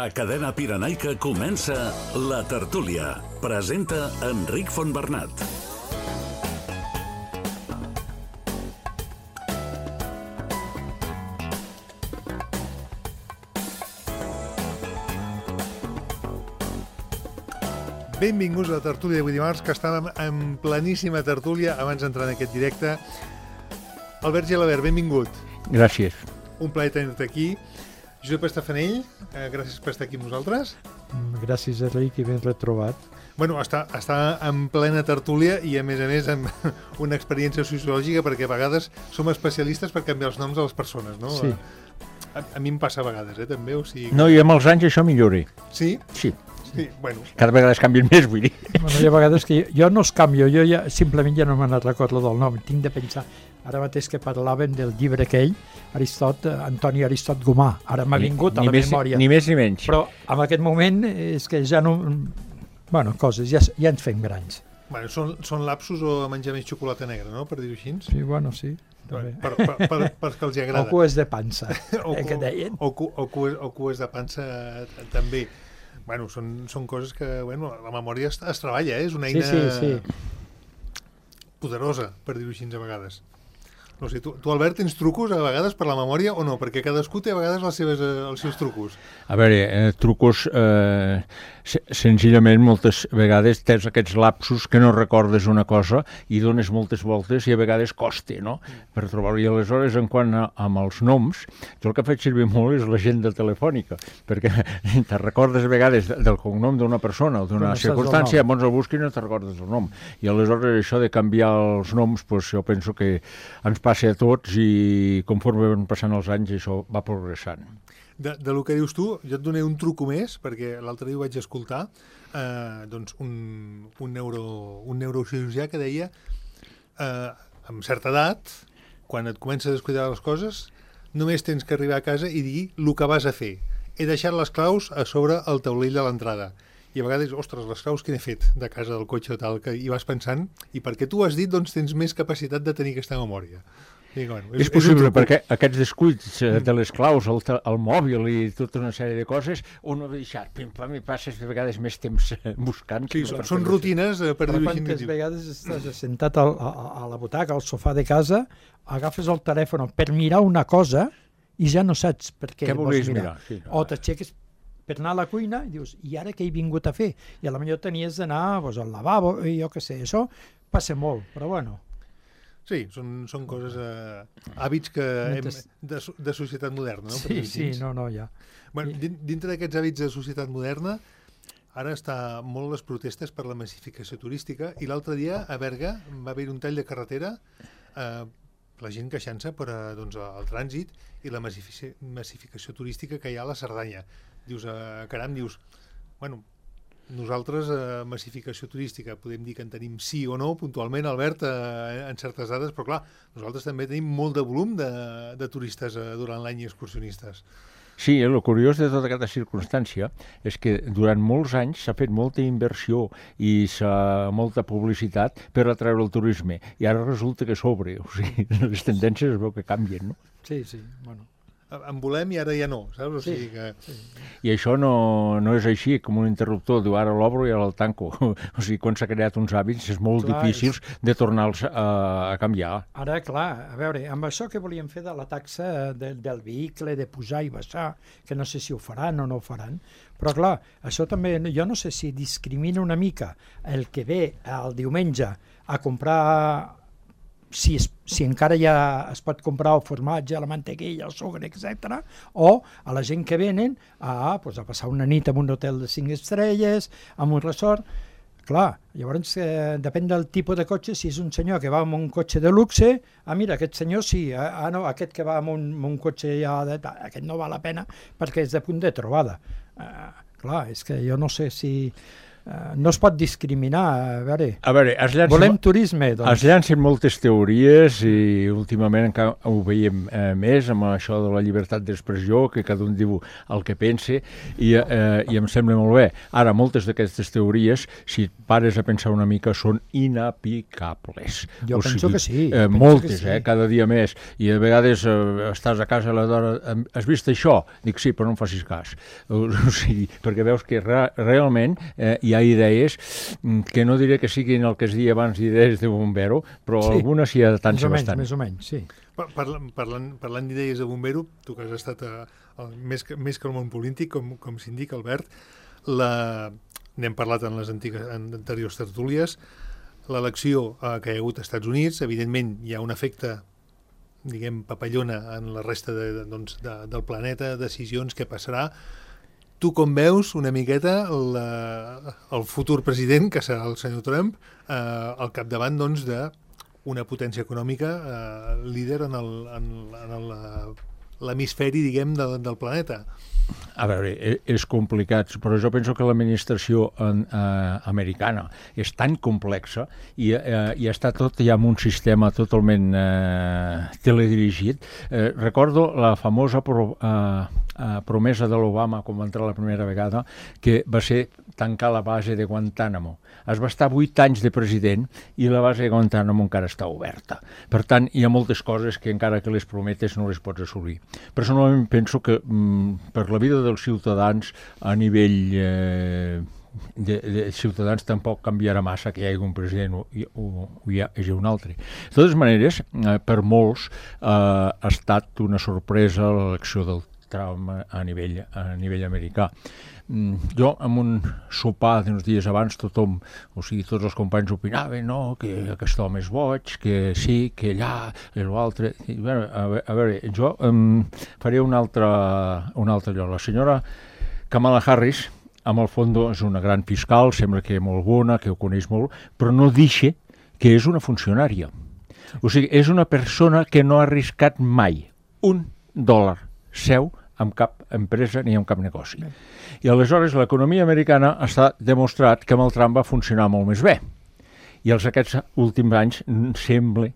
A Cadena Pirenaica comença La Tertúlia. Presenta Enric Fontbernat. Benvinguts a la tertúlia d'avui dimarts, que estàvem en pleníssima tertúlia abans d'entrar en aquest directe. Albert Gelabert, benvingut. Gràcies. Un plaer tenir-te aquí. Josep Estafanell, gràcies per estar aquí amb nosaltres. Gràcies, Enric, i ben retrobat. Bueno, està en plena tertúlia i, a més, amb una experiència sociològica, perquè a vegades som especialistes per canviar els noms de les persones, no? Sí. A mi em passa a vegades, també, o sigui... No, i amb els anys això millora. Sí? Sí. Sí, bueno. Cada vegada es canvien més, vull dir. Bueno, hi ha vegades que jo no els canvio, jo ja simplement ja no me n'he recordat del nom, tinc de pensar. Ara mateix que parlàvem del llibre aquell, Antoni Aristot Gomà, ara m'ha vingut a la memòria. Ni més ni menys. Però en aquest moment és que ja no... Bueno, coses, ja ens fem grans. Bueno, són lapsus o menjar més xocolata negra, no?, per dir-ho així. Sí, bueno, sí. Per que els hi agrada. O cues de pansa, que deien. O cues de pansa també. Bueno, són coses que, bueno, la memòria es treballa, és una eina poderosa, per dir-ho així a vegades. No sé, tu, Albert, tens trucos a vegades per la memòria o no? Perquè cadascú té a vegades els seus trucos. A veure, trucos, senzillament, moltes vegades tens aquests lapsus que no recordes una cosa i dones moltes voltes i a vegades costa, no?, per trobar-ho. I aleshores, en quant amb els noms, jo el que faig servir molt és l'agenda telefònica, perquè te recordes a vegades del cognom d'una persona o d'una circumstància, llavors el busques i no te recordes el nom. I aleshores això de canviar els noms, doncs jo penso que ens passa a tots i conforme van passant els anys això va progressant. De lo que dius tu, jo et donaré un truco més, perquè l'altre dia ho vaig escoltar, doncs un neurocirurgià que deia amb certa edat, quan et comences a descuidar les coses, només tens que arribar a casa i dir el que vas a fer. He deixat les claus a sobre el taulell de l'entrada. I a vegades, ostres, les claus que n'he fet de casa, del cotxe o tal, que hi vas pensant, i perquè tu ho has dit, doncs tens més capacitat de tenir aquesta memòria. I, bueno, és possible, perquè aquests descuits de les claus, el mòbil i tota una sèrie de coses, un ho ha deixat, pim-pam, i passes de vegades més temps buscant. Sí, són rutines, per dir-ho així. Quantes vegades estàs assentat a la butaca, al sofà de casa, agafes el telèfon per mirar una cosa i ja no saps per què vols mirar. Sí, no. O t'aixeques per anar a la cuina i dius, i ara què he vingut a fer? I a la millor tenies d'anar al lavabo, i jo què sé, això passa molt, però bueno. Sí, són coses, hàbits de societat moderna, no? Sí, no, ja. Bueno, dintre d'aquests hàbits de societat moderna, ara està molt les protestes per la massificació turística, i l'altre dia a Berga va haver un tall de carretera, la gent queixant-se per el trànsit i la massificació turística que hi ha a la Cerdanya. Dius, caram, bueno, nosaltres, massificació turística, podem dir que en tenim sí o no, puntualment, Albert, en certes dades, però clar, nosaltres també tenim molt de volum de turistes durant l'any i excursionistes. Sí, el curiós de tota aquesta circumstància és que durant molts anys s'ha fet molta inversió i molta publicitat per atreure el turisme, i ara resulta que sobre, o sigui, les tendències es veu que canvien, no? Sí, bueno. En volem i ara ja no, saps? O sigui que... I això no és així, com un interruptor, diu ara l'obro i ara el tanco. O sigui, quan s'ha creat uns hàbits és molt difícil de tornar-los a canviar. Ara, clar, a veure, amb això que volíem fer de la taxa del vehicle, de pujar i baixar, que no sé si ho faran o no ho faran, però clar, això també, jo no sé si discrimina una mica el que ve el diumenge a comprar... Si encara ja es pot comprar el formatge, la mantequilla, el sucre, etc., o a la gent que venen a passar una nit en un hotel de 5 estrelles, en un resort. Clar, llavors depèn del tipus de cotxe. Si és un senyor que va amb un cotxe de luxe, mira, aquest senyor sí, no, aquest que va amb un cotxe ja aquest no val la pena perquè és de punt de trobada. Clar, és que jo no sé si... no es pot discriminar. A veure, volem turisme, doncs. Es llancen moltes teories i últimament ho veiem més amb això de la llibertat d'expressió, que cada un diu el que pense, i em sembla molt bé. Ara, moltes d'aquestes teories, si pares a pensar una mica, són inaplicables. Jo penso que sí. Moltes, cada dia més. I a vegades estàs a casa a la d'hora, has vist això? Dic sí, però no em facis cas. O sigui, perquè veus que realment hi ha idees que no diré que siguin el que es deia abans idees de bombero, però algunes hi ha tant se bastant. Més o menys, sí. Parlant d'idees de bombero, tu que has estat més que el món polític, com s'indica, Albert, n'hem parlat en les anteriors tertúlies, l'elecció que hi ha hagut als Estats Units, evidentment hi ha un efecte, diguem, papallona en la resta del planeta, decisions, què passarà. Tu com veus una miqueta el futur president, que serà el senyor Trump, al capdavant d'una potència econòmica líder en l'hemisferi, diguem, del planeta? A veure, és complicat, però jo penso que l'administració americana és tan complexa i està tot ja en un sistema totalment teledirigit. Recordo la famosa promesa de l'Obama quan va entrar la primera vegada, que va ser tancar la base de Guantánamo. Es va estar 8 anys de president i la base de Guantánamo encara està oberta. Per tant, hi ha moltes coses que encara que les prometes no les pots assolir. Personalment penso que per la vida dels ciutadans a nivell de ciutadans tampoc canviarà massa que hi hagi un president o hi hagi un altre. De totes maneres, per molts ha estat una sorpresa l'elecció del Trump a nivell americà. Jo, en un sopar d'uns dies abans, tothom, o sigui, tots els companys opinaven, no, que aquest home és boig, que sí, que allà, i l'altre. A veure, jo faré un altre lloc. La senyora Kamala Harris, amb el fons, és una gran fiscal, sembla que molt bona, que ho coneix molt, però no deixa que és una funcionària. O sigui, és una persona que no ha arriscat mai $1 seu amb cap empresa ni amb cap negoci. I aleshores l'economia americana està demostrat que amb el Trump va funcionar molt més bé. I aquests últims anys sembla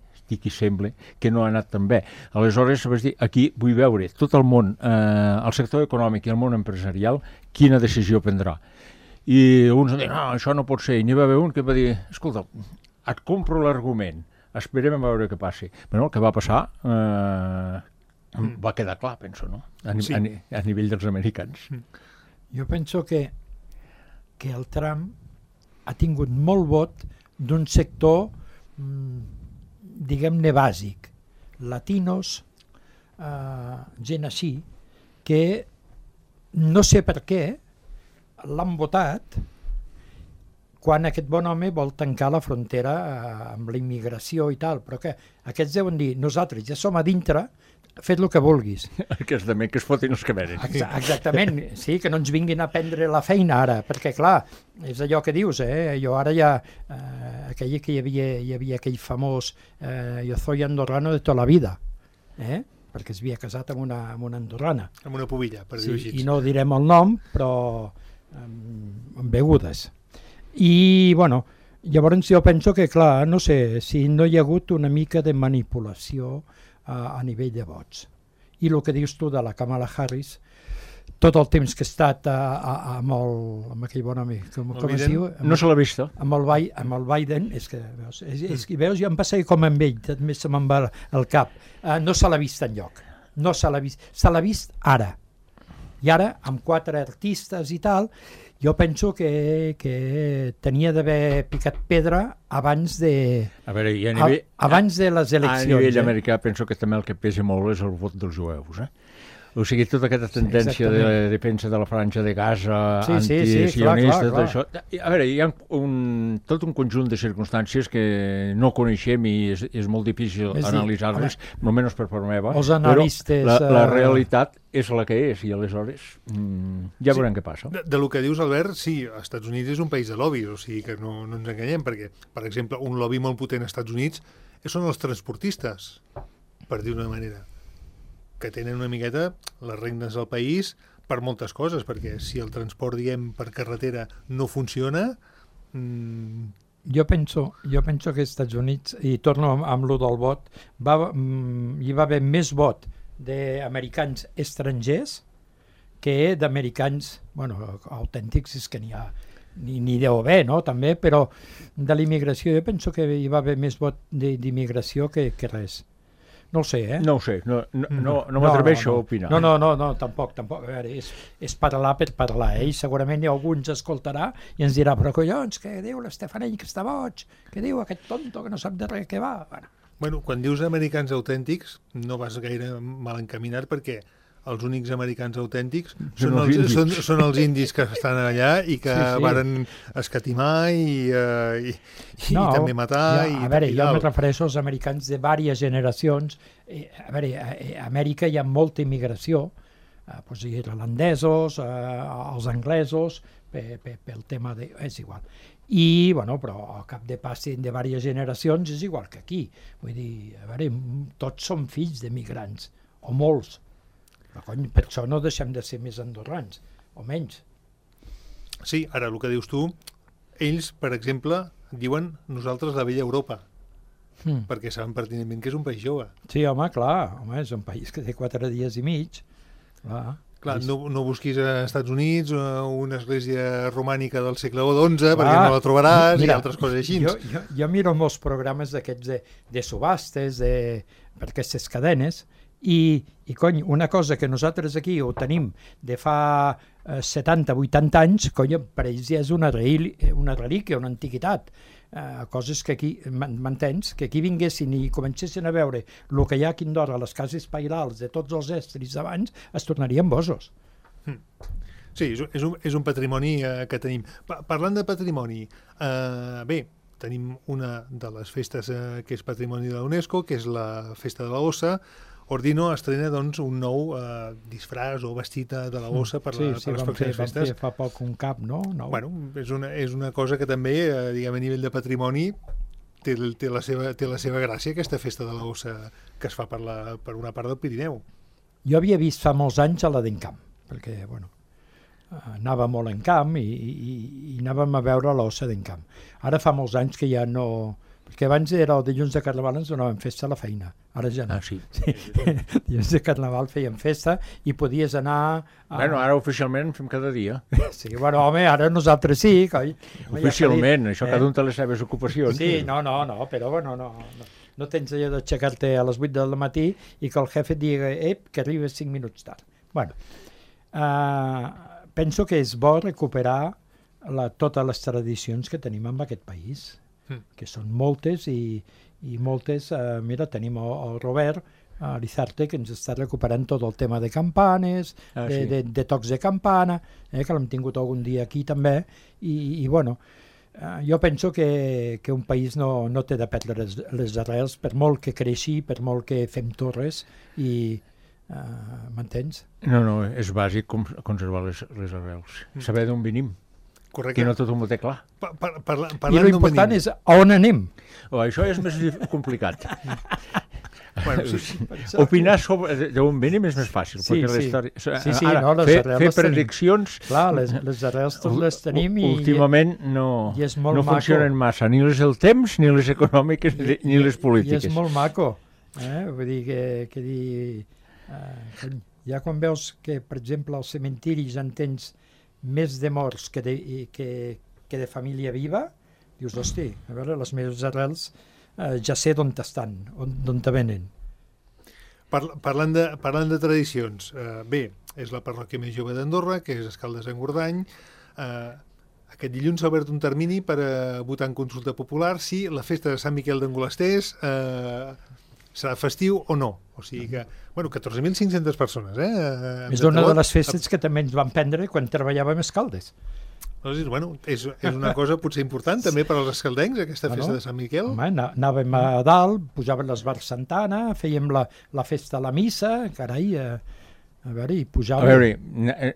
que no ha anat tan bé. Aleshores, vas dir, aquí vull veure tot el món, el sector econòmic i el món empresarial, quina decisió prendrà. I uns han dit, no, això no pot ser. I n'hi va haver un que va dir, escolta, et compro l'argument, esperem a veure què passi. Però el que va passar va quedar clar, penso, no? A nivell dels americans. Jo penso que el Trump ha tingut molt vot d'un sector, diguem-ne, bàsic. Latinos, gent així, que no sé per què l'han votat quan aquest bon home vol tancar la frontera amb la immigració i tal, però que aquests deuen dir, nosaltres ja som a dintre, fet el que vulguis. Que es fotin els que venen. Exactament, sí, que no ens vinguin a prendre la feina ara, perquè clar, és allò que dius, jo ara ja, aquell que hi havia aquell famós yo soy andorrano de tota la vida, perquè es havia casat amb una andorrana. Amb una pubilla, per dir-ho així. I no direm el nom, però amb begudes. I, bueno, llavors jo penso que, clar, no sé, si no hi ha hagut una mica de manipulació a nivell de vots. I el que dius tu de la Kamala Harris, tot el temps que ha estat amb aquell bon home, com es diu? No se l'ha vist. Amb el Biden, és que veus, jo em passa com amb ell, també se me'n va el cap. No se l'ha vist enlloc. No se l'ha vist. Se l'ha vist ara. I ara, amb 4 artistes i tal, jo penso que tenia d'haver picat pedra abans de les eleccions. A nivell americà penso que també el que pesa molt és el vot dels jueus, O sigui, tota aquesta tendència de defensa de la franja de Gaza, antisionista, tot això. A veure, hi ha tot un conjunt de circumstàncies que no coneixem i és molt difícil analitzar-les, almenys per part meva, però la realitat és la que és, i aleshores ja veurem què passa. Del que dius, Albert, sí, els Estats Units és un país de lobbies, o sigui que no ens enganyem, perquè, per exemple, un lobby molt potent als Estats Units són els transportistes, per dir-ho d'una manera, que tenen una miqueta les regnes del país per moltes coses, perquè si el transport, diguem, per carretera no funciona... Jo penso que als Estats Units, i torno amb lo del vot, hi va haver més vot d'americans estrangers que d'americans, autèntics, és que n'hi ha, ni deu haver, no?, també, però de l'immigració jo penso que hi va haver més vot d'immigració que res. No ho sé, No ho sé, no m'atreveixo a opinar. No, tampoc. A veure, és parlar per parlar, i segurament algú ens escoltarà i ens dirà, però collons, què diu l'Estefanell que està boig? Què diu aquest tonto que no sap de res què va? Bueno, quan dius americans autèntics no vas gaire mal encaminat, perquè els únics americans autèntics són els indis que estan allà i que varen escatimar i també matar. A veure, jo me refereixo als americans de diverses generacions. A veure, a Amèrica hi ha molta immigració, irlandesos, els anglesos, pel tema de... és igual. I, però al cap de passi de diverses generacions és igual que aquí. Vull dir, a veure, tots som fills d'emigrants, o molts. Per això no deixem de ser més andorrans, o menys. Sí, ara el que dius tu, ells, per exemple, diuen nosaltres la vella Europa, perquè saben pertinentment que és un país jove. Sí, home, clar, és un país que té 4 dies i mig. Clar, no busquis als Estats Units una església romànica del segle XI, perquè no la trobaràs, i altres coses així. Jo miro molts programes d'aquests de subhastes, per aquestes cadenes, i cony, una cosa que nosaltres aquí ho tenim de fa 70-80 anys, cony, per ells ja és una relíquia, una antiguitat. Coses que aquí, m'entens? Que aquí vinguessin i comencessin a veure el que hi ha aquí a Andorra, les cases pairals de tots els estris d'abans, es tornarien bosos. Sí, és un patrimoni que tenim. Parlant de patrimoni, bé, tenim una de les festes que és patrimoni de la UNESCO, que és la Festa de la Ossa. Ordino estrena, doncs, un nou disfraç o vestit de la ossa per les pròximes festes. Sí, fa poc un cap, no? Bueno, és una cosa que també, diguem, a nivell de patrimoni, té la seva gràcia, aquesta Festa de la Ossa que es fa per una part del Pirineu. Jo havia vist fa molts anys a la d'Encamp, perquè, anava molt en camp i anàvem a veure l'ossa d'Encamp. Ara fa molts anys que ja no... Perquè abans era el dilluns de Carnaval, ens donàvem festa a la feina. Ara ja no. Sí. Dilluns de Carnaval fèiem festa i podies anar... Ara oficialment fem cada dia. Sí, home, ara nosaltres sí. Oficialment, això cada un té les seves ocupacions. Sí, no, però no tens allò d'aixecar-te a les 8 del matí i que el jefe et digui que arribes 5 minuts tard. Penso que és bo recuperar totes les tradicions que tenim en aquest país, que són moltes i moltes, mira, tenim el Robert Lizarte, que ens està recuperant tot el tema de campanes, de tocs de campana, que l'hem tingut algun dia aquí també, i jo penso que un país no té de perdre les arrels, per molt que creixi, per molt que fem torres, i m'entens? No, és bàsic conservar les arrels, saber d'on venim. Correcte. Que no tothom ho té clar. I l'important és on anem. Això és més complicat. Opinar sobre d'on venim és més fàcil. Fer prediccions... Clar, les arrels tots les tenim i... Últimament no funcionen massa, ni les del temps, ni les econòmiques, ni les polítiques. I és molt maco. Vull dir que ja quan veus que, per exemple, als cementiris en tens més de morts que de família viva, dius, hosti, a veure, les meves arrels ja sé d'on estan, d'on te venen. Parlant de tradicions, bé, és la parròquia més jove d'Andorra, que és Escaldes-Engordany. Aquest dilluns s'ha obert un termini per votar en consulta popular si la festa de Sant Miquel d'Angolasters serà festiu o no. O sigui que, 14.500 persones. És una de les festes que també ens van prendre quan treballàvem a Escaldes. És una cosa potser important també per als escaldencs, aquesta festa de Sant Miquel. Anàvem a dalt, pujaven les bars Santana, fèiem la festa a la missa, carai, A veure, i A pujar-ho. veure,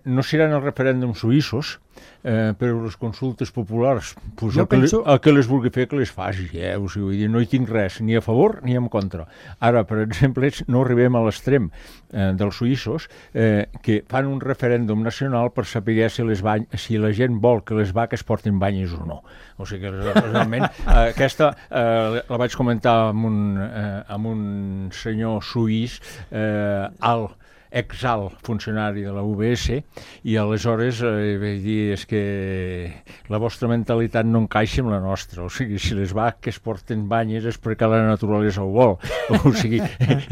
no seran els referèndums suïssos, però les consultes populars, pues Jo penso- el que les vulgui fer, que les faci. O sigui, vull dir, no hi tinc res, ni a favor ni en contra. Ara, per exemple, no arribem a l'extrem dels suïssos, que fan un referèndum nacional per saber si la gent vol que les vaques portin banyes o no. O sigui que realment aquesta la vaig comentar amb un senyor suís alt, exalt funcionari de la UBS, i aleshores vaig dir, és que la vostra mentalitat no encaixa amb la nostra, o sigui, si les vaques porten banyes és perquè la naturalesa ho vol, o sigui,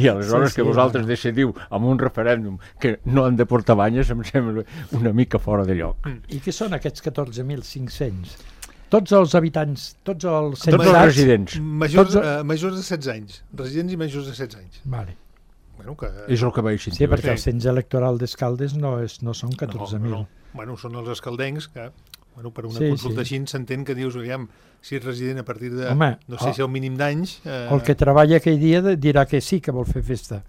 i aleshores que vosaltres decidiu amb un referèndum que no han de portar banyes em sembla una mica fora de lloc. I què són aquests 14.500? Tots els habitants, tots els Tots els residents. Majors de 16 anys. Residents i majors de 16 anys. Vale. Bueno, que... És el que vaig sentir. Sí, perquè el cens electoral d'Escaldes no són 14.000. No. Bueno, són els escaldencs que, bueno, per una Sí, consulta sí. així s'entén que dius, aviam, si ets resident a partir de, Home, no sé si el mínim d'anys... El que treballa aquell dia dirà que sí, que vol fer festa.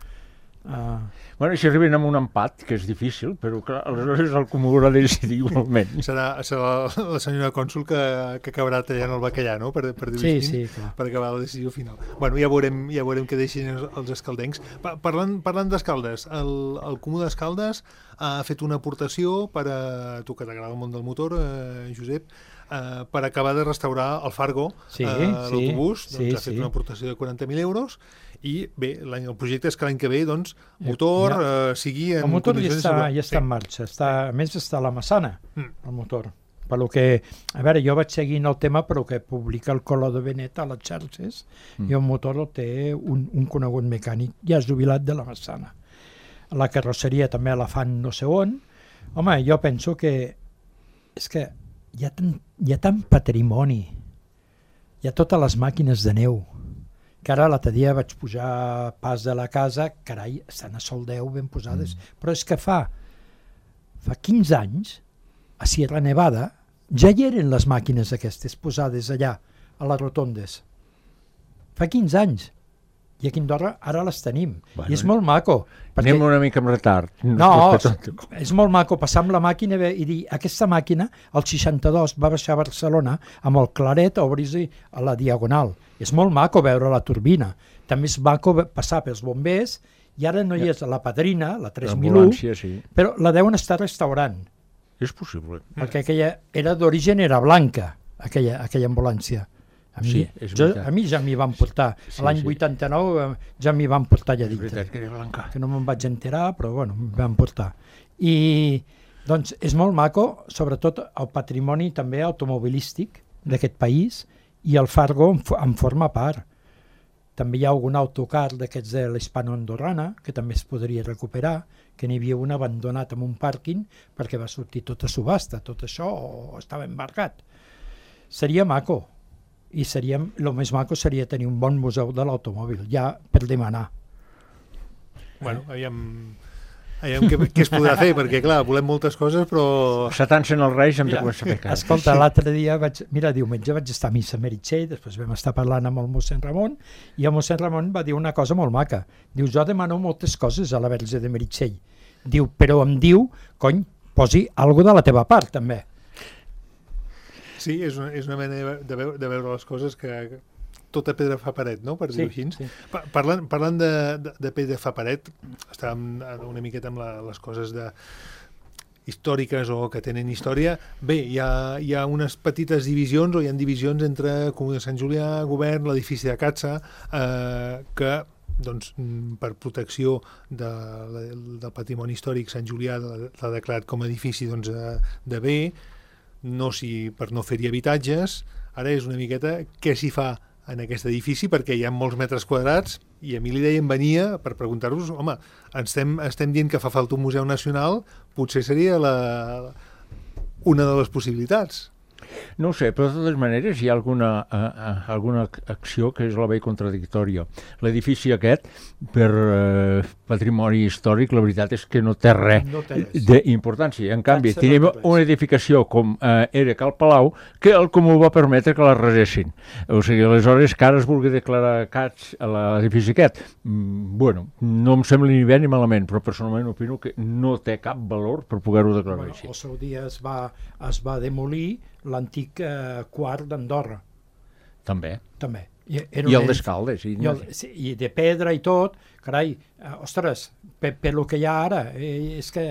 Bueno, si arriben amb un empat, que és difícil, però clar, aleshores el comú haurà de decidir igualment. Serà la senyora cònsul que acabarà tallant el bacallà, no?, per dir-ho Sí, així, sí, clar. per acabar la decisió final. Bueno, ja veurem què deixin els escaldencs. Parlant d'Escaldes, el Comú d'Escaldes ha fet una aportació per a tu que t'agrada el món del motor, Josep, per acabar de restaurar el Fargo, l'autobús, doncs ha fet una aportació de 40.000 euros, i bé, el projecte és que l'any que ve, doncs, motor sigui en el motor condicions... ja està en marxa, a més està a la Massana, el motor. Per lo que, a veure, jo vaig seguint el tema, però que publica el Color de Benet a les xarxes, i el motor el té un conegut mecànic, ja jubilat de la Massana. La carrosseria també la fan no sé on. Home, jo penso que és que hi ha tant patrimoni, hi ha totes les màquines de neu, que ara l'altre dia vaig pujar pas de la casa, carai, estan a sol 10 ben posades, però és que fa 15 anys, a Sierra Nevada, ja hi eren les màquines aquestes posades allà, a les rotondes. Fa 15 anys. I aquí a Andorra ara les tenim. I és molt maco. Anem una mica amb retard. No, és molt maco passar amb la màquina i dir, aquesta màquina, el 62, va baixar a Barcelona amb el claret a obrir-se a la diagonal. És molt maco veure la turbina. També és maco passar pels bombers, i ara no hi és la Padrina, la 3001, però la deuen estar restaurant. És possible. Perquè aquella d'origen era blanca, aquella ambulància. A mi ja m'hi van portar. L'any 89 ja m'hi van portar allà dintre. Que no me'n vaig enterar, però bueno, m'hi van portar. I doncs és molt maco, sobretot el patrimoni també automobilístic d'aquest país, i el Fargo en forma part. També hi ha algun autocar d'aquests de l'Hispano-Andorrana, que també es podria recuperar, que n'hi havia un abandonat en un pàrquing perquè va sortir tot a subhasta, tot això estava embarcat. Seria maco. I el més maco seria tenir un bon museu de l'automòbil, ja per demanar. Bueno, aviam què es podrà fer, perquè clar, volem moltes coses, però... Setant-se'n els Reis hem de començar a fer cas. Escolta, l'altre dia, diumenge vaig estar a missa a Meritxell, després vam estar parlant amb el mossèn Ramon, i el mossèn Ramon va dir una cosa molt maca. Diu, jo demano moltes coses a la Verge de Meritxell. Diu, però em diu, cony, posi alguna de la teva part, també. Sí, és una manera de veure les coses que tota pedra fa paret, no?, per dir-ho així. Sí. Parlant de pedra fa paret, estàvem una miqueta amb les coses històriques o que tenen història. Bé, hi ha unes petites divisions, o hi ha divisions entre Comú de Sant Julià, Govern, l'edifici de Catsa, que doncs, per protecció del patrimoni històric, Sant Julià l'ha declarat com a edifici de bé, per no fer-hi habitatges. Ara és una miqueta què s'hi fa en aquest edifici, perquè hi ha molts metres quadrats, i a mi l'idea em venia per preguntar-vos, home, estem dient que fa falta un museu nacional, potser seria una de les possibilitats. No ho sé, però de totes maneres hi ha alguna acció que és la veig contradictòria. L'edifici aquest, per patrimoni històric, la veritat és que no té res d'importància. En canvi, tenim una edificació com era Cal Palau, que el Comú va permetre que la resessin. O sigui, aleshores, que ara es vulgui declarar cats a l'edifici aquest, bueno, no em sembla ni bé ni malament, però personalment opino que no té cap valor per poder-ho declarar així. Al seu dia es va demolir l'antic quart d'Andorra. També. I el d'Escaldes. I de pedra i tot. Carai, ostres, per lo que hi ha ara, és que,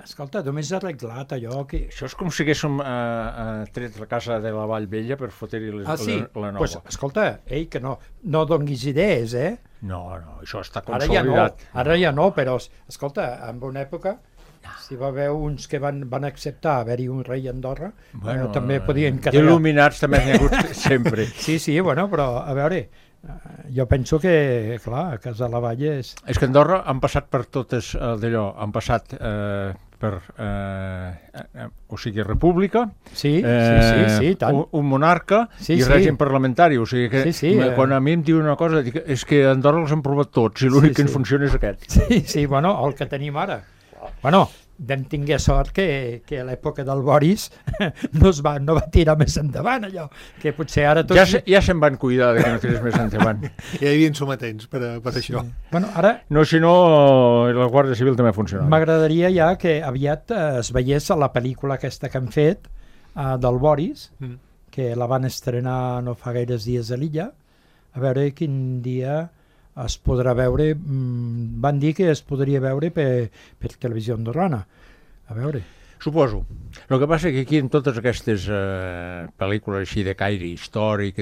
escolta, només arreglat allò que... Això és com si haguéssim tret la casa de la Vall Vella per fotre-hi la nova. Pues, escolta, que no donguis idees, No, això està consolidat. Ara ja no, però, escolta, en una època... Si va haver uns que van acceptar haver-hi un rei a Andorra, també podien quedar... Il·luminats també n'hi ha hagut sempre. Sí, bueno, però a veure, jo penso que, clar, a Casa la Vall és... És que a Andorra han passat per totes d'allò, han passat per, o sigui, república, tant. un monarca i règim parlamentari, o sigui que quan a mi em diu una cosa, dic, és que a Andorra els han provat tots i l'únic que ens funciona és aquest. Sí, bueno, el que tenim ara. Bueno, vam tinguer sort que a l'època del Boris no va tirar més endavant allò, que potser ara tots... Ja se'n van cuidar que no tirés més endavant. Ja hi havia sometents per això. Bueno, ara... No, si no, la Guàrdia Civil també funciona. M'agradaria ja que aviat es veiés la pel·lícula aquesta que han fet del Boris, que la van estrenar no fa gaires dies a l'illa, a veure quin dia... es podrà veure, van dir que es podria veure per televisió andorrana. A veure. Suposo. El que passa que aquí en totes aquestes pel·lícules així de caire històric,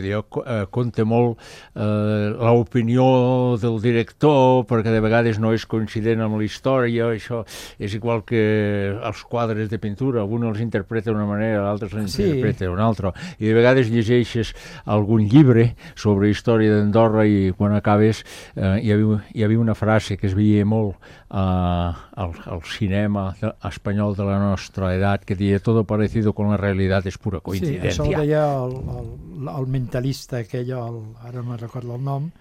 compta molt l'opinió del director, perquè de vegades no és coincident amb la història, això és igual que els quadres de pintura, un els interpreta d'una manera, l'altre els interpreta d'una altra, i de vegades llegeixes algun llibre sobre història d'Andorra i quan acabes hi havia una frase que es veia molt al cinema espanyol de la nostra edat, que deia todo parecido con la realidad es pura coincidencia. Sí, això ho deia el mentalista aquell, ara no recordo el nom,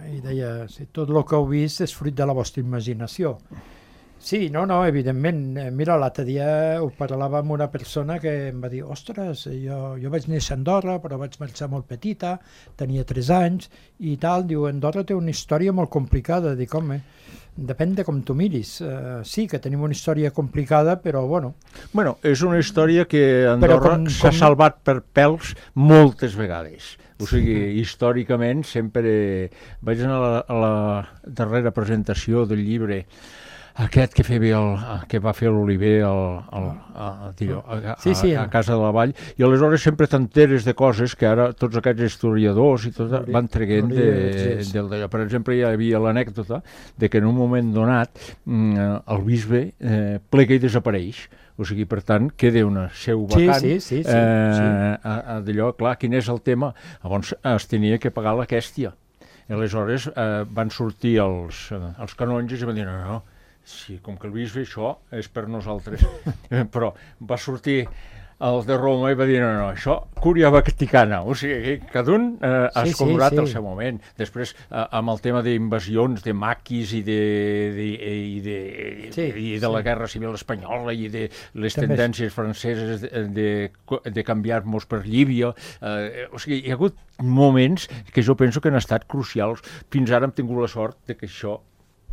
i deia, tot el que heu vist és fruit de la vostra imaginació. Sí, no, evidentment. Mira, l'altre dia ho parlava amb una persona que em va dir, ostres, jo vaig néixer a Andorra, però vaig marxar molt petita, tenia 3 anys, i tal, diu, Andorra té una història molt complicada. Dic, home, depèn de com tu miris. Sí, que tenim una història complicada, però bueno. Bueno, és una història que Andorra s'ha salvat per pèls moltes vegades. O sigui, històricament sempre... Vaig anar a la darrera presentació del llibre aquest que va fer l'Oliver a Casa de la Vall, i aleshores sempre t'enteres de coses que ara tots aquests historiadors i tot van traient d'allò. Per exemple, hi havia l'anècdota de que en un moment donat el bisbe plega i desapareix. O sigui, per tant, queda una seu vacant. D'allò, clar, quin és el tema? Llavors es tenia que pagar la quèstia. I aleshores van sortir els canonges i van dir, no, sí, com que el bisbe això és per nosaltres. Però va sortir el de Roma i va dir, no, això, Cúria Vaticana. O sigui, cada un ha escombrat el seu moment. Després, amb el tema d'invasions, de maquis i de la Guerra Civil Espanyola i de les tendències franceses de canviar-nos per Llívia. O sigui, hi ha hagut moments que jo penso que han estat crucials. Fins ara hem tingut la sort de que això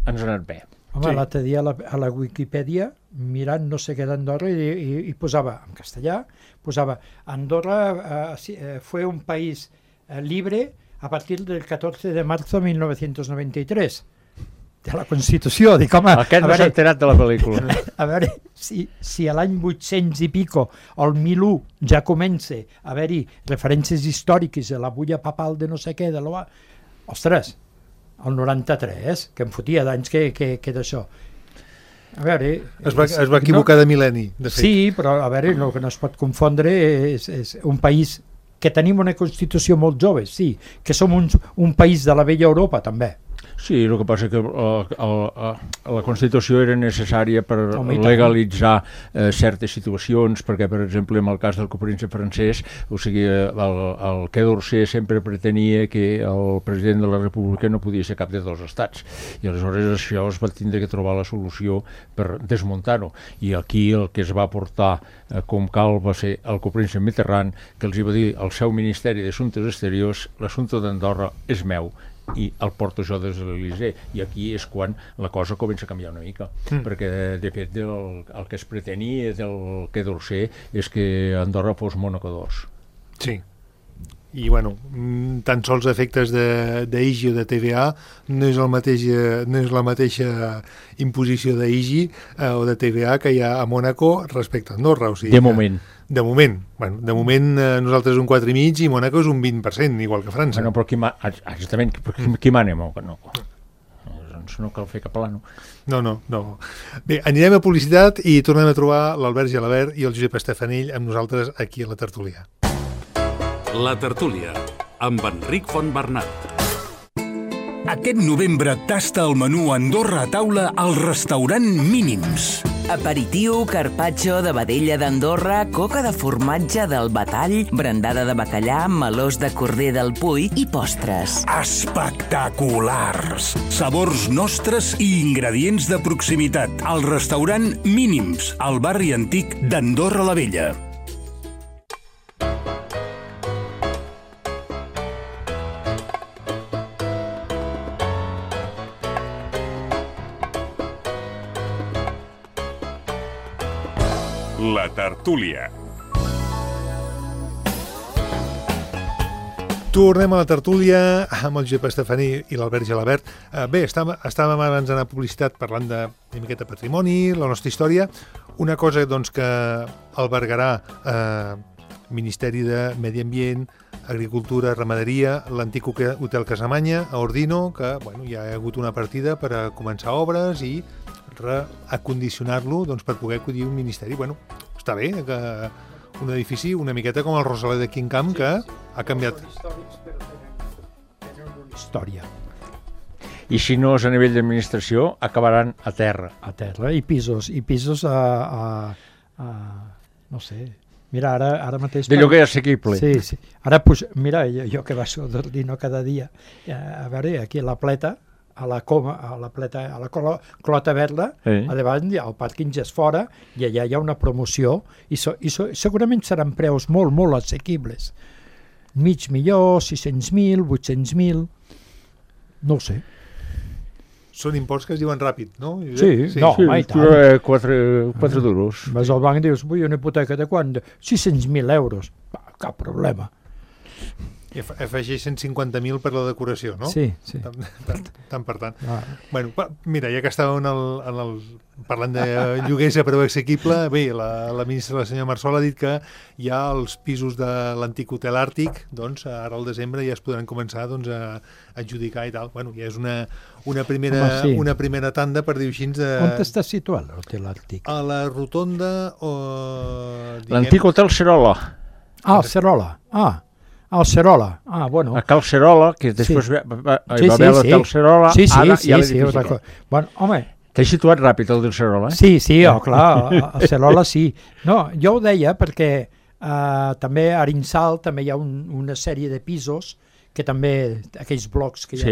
ens ha anat bé. Home, l'altre dia a la Wikipedia, mirant no sé què d'Andorra, i posava, en castellà, posava Andorra fue un país libre a partir del 14 de marzo de 1993. De la Constitució. Dic, home... Aquest no s'ha enterat de la pel·lícula. A veure, si a l'any 800 i pico, el 1001, ja comença a haver-hi referències històriques a la bulla papal de no sé què, ostres, el 93, que em fotia d'anys que d'això. A veure... Es va equivocar de mil·lenni, de fet. Sí, però a veure, el que no es pot confondre és un país que tenim una Constitució molt jove, sí, que som un país de la vella Europa, també. Sí, el que passa que la Constitució era necessària per legalitzar certes situacions, perquè, per exemple, en el cas del copríncep francès, o sigui, el Quai d'Orsay sempre pretenia que el president de la República no podia ser cap de dos estats, i aleshores això es va tindre que trobar la solució per desmuntar-ho, i aquí el que es va portar com cal va ser el copríncep Mitterrand, que els hi va dir al seu Ministeri d'Assumptes Exteriors: l'assumpte d'Andorra és meu i el porto jo des de l'Elysée. I aquí és quan la cosa comença a canviar una mica, perquè de fet el que es pretenia del Quai d'Orsay és que Andorra fos Mònaco 2. Sí. I, bueno, tan sols efectes d'IGI o de TVA no és la mateixa imposició d'IGI o de TVA que hi ha a Mònaco respecte a Andorra. O sigui, de moment. De moment. Bueno, de moment nosaltres un 4,5 i Mònaco és un 20%, igual que França. Bueno, però exactament, qui mana? No. Doncs no cal fer cap plano. No. Bé, anirem a publicitat i tornem a trobar l'Albert Gelabert i el Josep Estefanill amb nosaltres aquí a la tertúlia. La tertúlia, amb Enric Fontbernat. Aquest novembre tasta el menú Andorra a taula al restaurant Mínims. Aperitiu, carpaccio de vedella d'Andorra, coca de formatge del Batall, brandada de bacallà, melós de corder del Puy i postres. Espectaculars! Sabors nostres i ingredients de proximitat. Al restaurant Mínims, al barri antic d'Andorra la Vella. La tertúlia. Tornem a la tertúlia amb el Josep Estefaní i l'Albert Gelabert. Bé, estàvem abans d'anar a publicitat parlant de miqueta patrimoni, la nostra història. Una cosa doncs, que albergarà Ministeri de Medi Ambient, Agricultura, Ramaderia, l'antic Hotel Casamanya a Ordino, que hi ha hagut una partida per a començar obres i reacondicionar-lo per poder acudir a un ministeri. Està bé que un edifici una miqueta com el Rosaler de Quincamp, que ha canviat. Tenen una història. I si no és a nivell d'administració, acabaran a terra. A terra, i pisos a no sé. Mira, ara mateix... De lloguer assequible. Sí. Ara, mira, jo que vaig a Ordino cada dia, a veure, aquí a la Pleta, a la Clota Verda, a davant hi ha el pàrquing és fora i allà hi ha una promoció i segurament seran preus molt, molt assequibles. $500,000, 600,000, 800,000, no ho sé. Són imports que es diuen ràpid, no? Sí. I tant. 4 duros. Vas al banc i dius, vull una hipoteca de quant? 600,000 euros. Cap problema. I afegeix 150.000 per la decoració, no? Sí. Tant per tant. Mira, ja que estàvem parlant de lloguers a preu assequible, bé, la ministra, la senyora Marsol, ha dit que hi ha els pisos de l'antic Hotel Àrtic, doncs ara al desembre ja es podran començar a adjudicar i tal. Ja és una primera tanda, per dir-ho així. On està situat l'Hotel Àrtic? A la rotonda... L'antic Hotel Cerola. El Cerola. El Cerola, bueno. A Cal Cerola, que després hi va haver l'Hotel Cerola, ara hi ha l'edifici. Bueno, home... T'he situat ràpid el del Cerola, Sí, clar, el Cerola sí. No, jo ho deia perquè també a Arinsal també hi ha una sèrie de pisos que també, aquells blocs que hi ha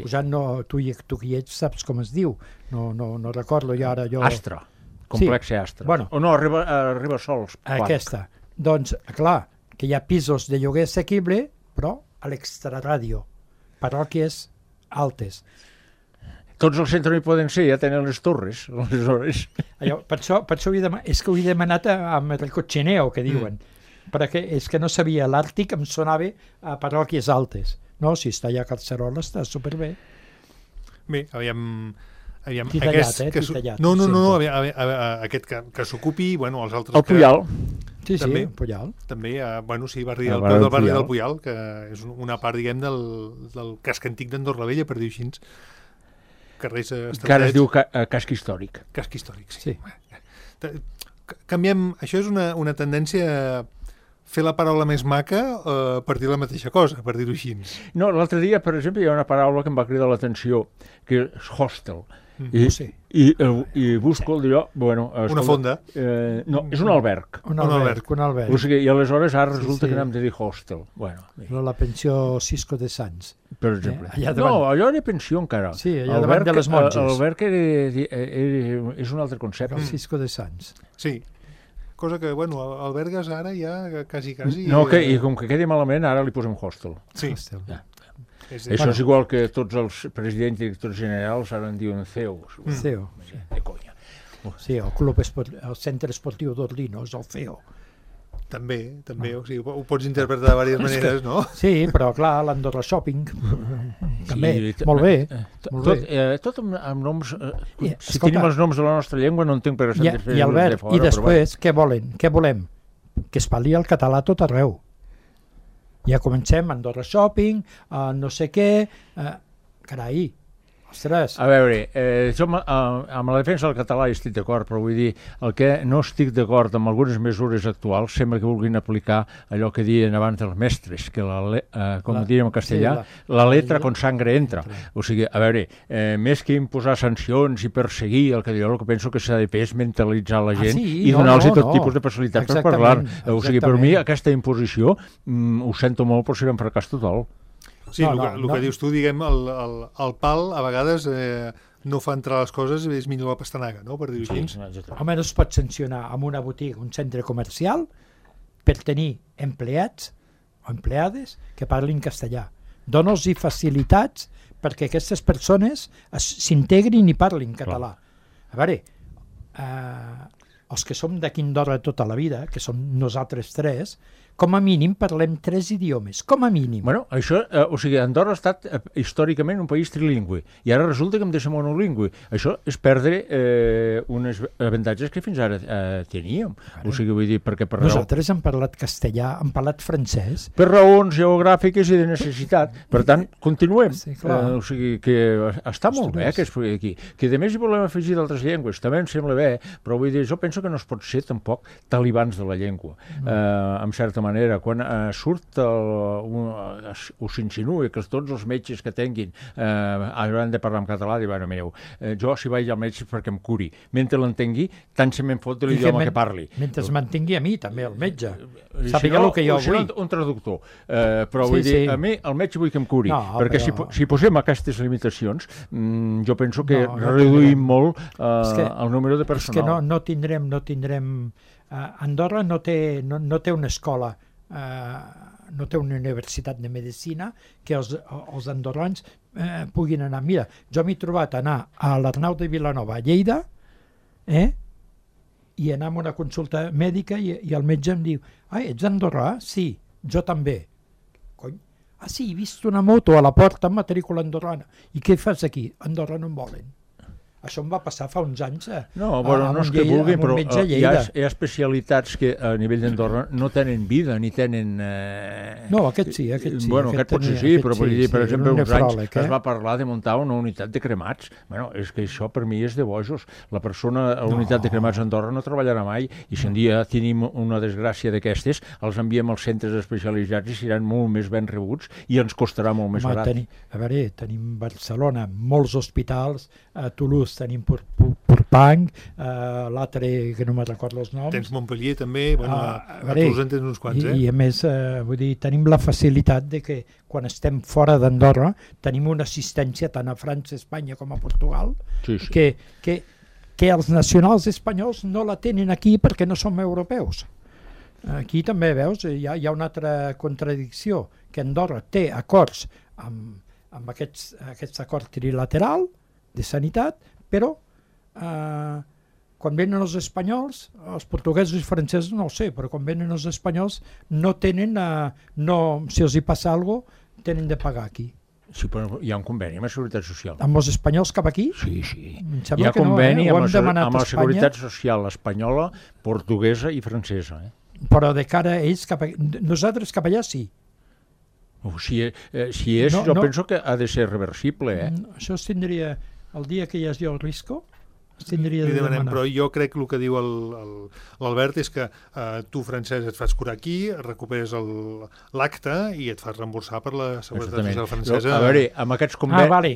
posant, tu qui ets saps com es diu, no recordo jo ara. Astra, complex Astra. O no, Ribasols. Aquesta. Doncs, clar, que hi ha pisos de lloguer assequible, però a l'extraràdio, parròquies altes. Tots els centres hi poden ser, ja tenen les torres, aleshores. Per això és que ho he demanat amb el cotxineo, que diuen, perquè és que no sabia, l'Àrtic em sonava a parròquies altes. No, si està allà a Carcerola està superbé. Bé, aviam... Titallat. No, aquest que s'ocupi, els altres... El Puyal. Sí, el Puyal. També, barri del barri del Puyal, que és una part, diguem, del casc antic d'Andorra la Vella, per dir-ho així. Carrers estratègics. Que ara es diu casc històric. Casc històric, sí. Canviem... Això és una tendència fer la paraula més maca per dir la mateixa cosa, per dir-ho així. No, l'altre dia, per exemple, hi ha una paraula que em va cridar l'atenció, que és hostel. I busco el dir, bueno... Una fonda. No, és un alberg. Un alberg. O sigui, i aleshores ara resulta que n'hem de dir hostel. Bueno, la pensió Cisco de Sants. Per exemple. No, allò era pensió encara. Sí, allà davant de les monges. L'alberg és un altre concepte. El Cisco de Sants. Sí. Cosa que, bueno, albergues ara ja quasi... No, i com que quedi malament, ara li posem hostel. Sí. Això és igual que tots els presidents i directors generals ara en diuen CEO. CEO. De conya. Sí, el centre esportiu d'Orlino és el CEO. També, o sigui, ho pots interpretar de diverses maneres, no? Sí, però clar, l'Andorra Shopping també, molt bé. Tot amb noms... Si tenim els noms de la nostra llengua no entenc per què s'han de fer de fora. I després, què volen? Què volem? Que es parli el català a tot arreu. Ja comencem, Andorra Shopping, no sé què... Carai, ostres... A veure, jo amb la defensa del català hi estic d'acord, però vull dir, el que no estic d'acord amb algunes mesures actuals sembla que vulguin aplicar allò que diuen abans els mestres, que com diríem en castellà, la letra con sangre entra. O sigui, a veure, més que imposar sancions i perseguir el que jo el que penso que s'ha de fer és mentalitzar la gent i donar-los tot tipus de facilitat per parlar. O sigui, per mi aquesta imposició ho sento molt, però serà un fracàs total. Sí, el que dius tu, diguem, el pal a vegades no fa entrar les coses, és millor la pastanaga, no?, per dir-ho així. Home, no es pot sancionar amb una botiga, un centre comercial, per tenir empleats o empleades que parlin castellà. Dóna-los facilitats perquè aquestes persones s'integrin i parlin català. A veure, els que som d'aquí Andorra tota la vida, que som nosaltres tres, com a mínim parlem 3 idiomes, com a mínim. Bueno, això, o sigui, Andorra ha estat històricament un país trilingüe i ara resulta que hem de ser monolingüe. Això és perdre uns avantatges que fins ara teníem. O sigui, vull dir, perquè per nosaltres hem parlat castellà, hem parlat francès. Per raons geogràfiques i de necessitat. Per tant, continuem. Sí, o sigui, que està molt bé que es pugui aquí. Que a més hi volem afegir d'altres llengües, també em sembla bé, però vull dir, jo penso que no es pot ser tampoc talibans de la llengua. En certa manera, quan surt o s'insinua que tots els metges que tinguin hauran de parlar en català, diuen, mireu, jo si vaig al metge perquè em curi, mentre l'entengui tant se me'n fot de l'idioma que parli. Mentre es mantingui a mi també el metge, sàpiga el que jo vull. Un traductor, però vull dir, a mi el metge vull que em curi, perquè si posem aquestes limitacions jo penso que reduïm molt el número de personal. És que no tindrem Andorra no té una escola, no té una universitat de medicina que els andorrans puguin anar. Mira, jo m'he trobat anar a l'Arnau de Vilanova, a Lleida, i anar a una consulta mèdica i el metge em diu, ets d'Andorra? Sí, jo també. Cony? Sí, he vist una moto a la porta amb matrícula andorrana. I què fas aquí? Andorra no em volen. Això em va passar fa uns anys no és que vulguin, però hi ha especialitats que a nivell d'Andorra no tenen vida, ni tenen... No, aquest sí. Bueno, aquest potser sí, però per exemple, uns anys es va parlar de muntar una unitat de cremats. Bueno, és que això per mi és de bojos. La persona a la unitat de cremats d'Andorra no treballarà mai, i si un dia tenim una desgràcia d'aquestes, els enviem als centres especialitzats i seran molt més ben rebuts i ens costarà molt més barat. A veure, tenim Barcelona, molts hospitals, a Toulouse tenim Purpang, l'altre que no me'n recordo els noms. Tens Montpellier també, a Toulouse en tens uns quants. I a més, vull dir, tenim la facilitat de que quan estem fora d'Andorra tenim una assistència tant a França, Espanya com a Portugal, que els nacionals espanyols no la tenen aquí perquè no som europeus. Aquí també, veus, hi ha una altra contradicció, que Andorra té acords amb aquest acord trilateral de sanitat, però quan venen els espanyols, els portuguesos i francesos no ho sé, però quan venen els espanyols no tenen, si els hi passa alguna cosa, tenen de pagar aquí. Sí, però hi ha un conveni amb la Seguretat Social. Amb els espanyols cap aquí? Sí. Hi ha conveni amb la Seguretat Social espanyola, portuguesa i francesa. Però de cara a ells, nosaltres cap allà sí. Si és, jo penso que ha de ser reversible. Això es tindria... El dia que hi hagi el risco, tindria li de demanem, demanar. però jo crec que el que diu l'Albert és que tu, francès, et fas curar aquí, recuperes l'acte i et fas reemborsar per la Seguretat Social francesa. A veure, amb aquests convenis... Vale.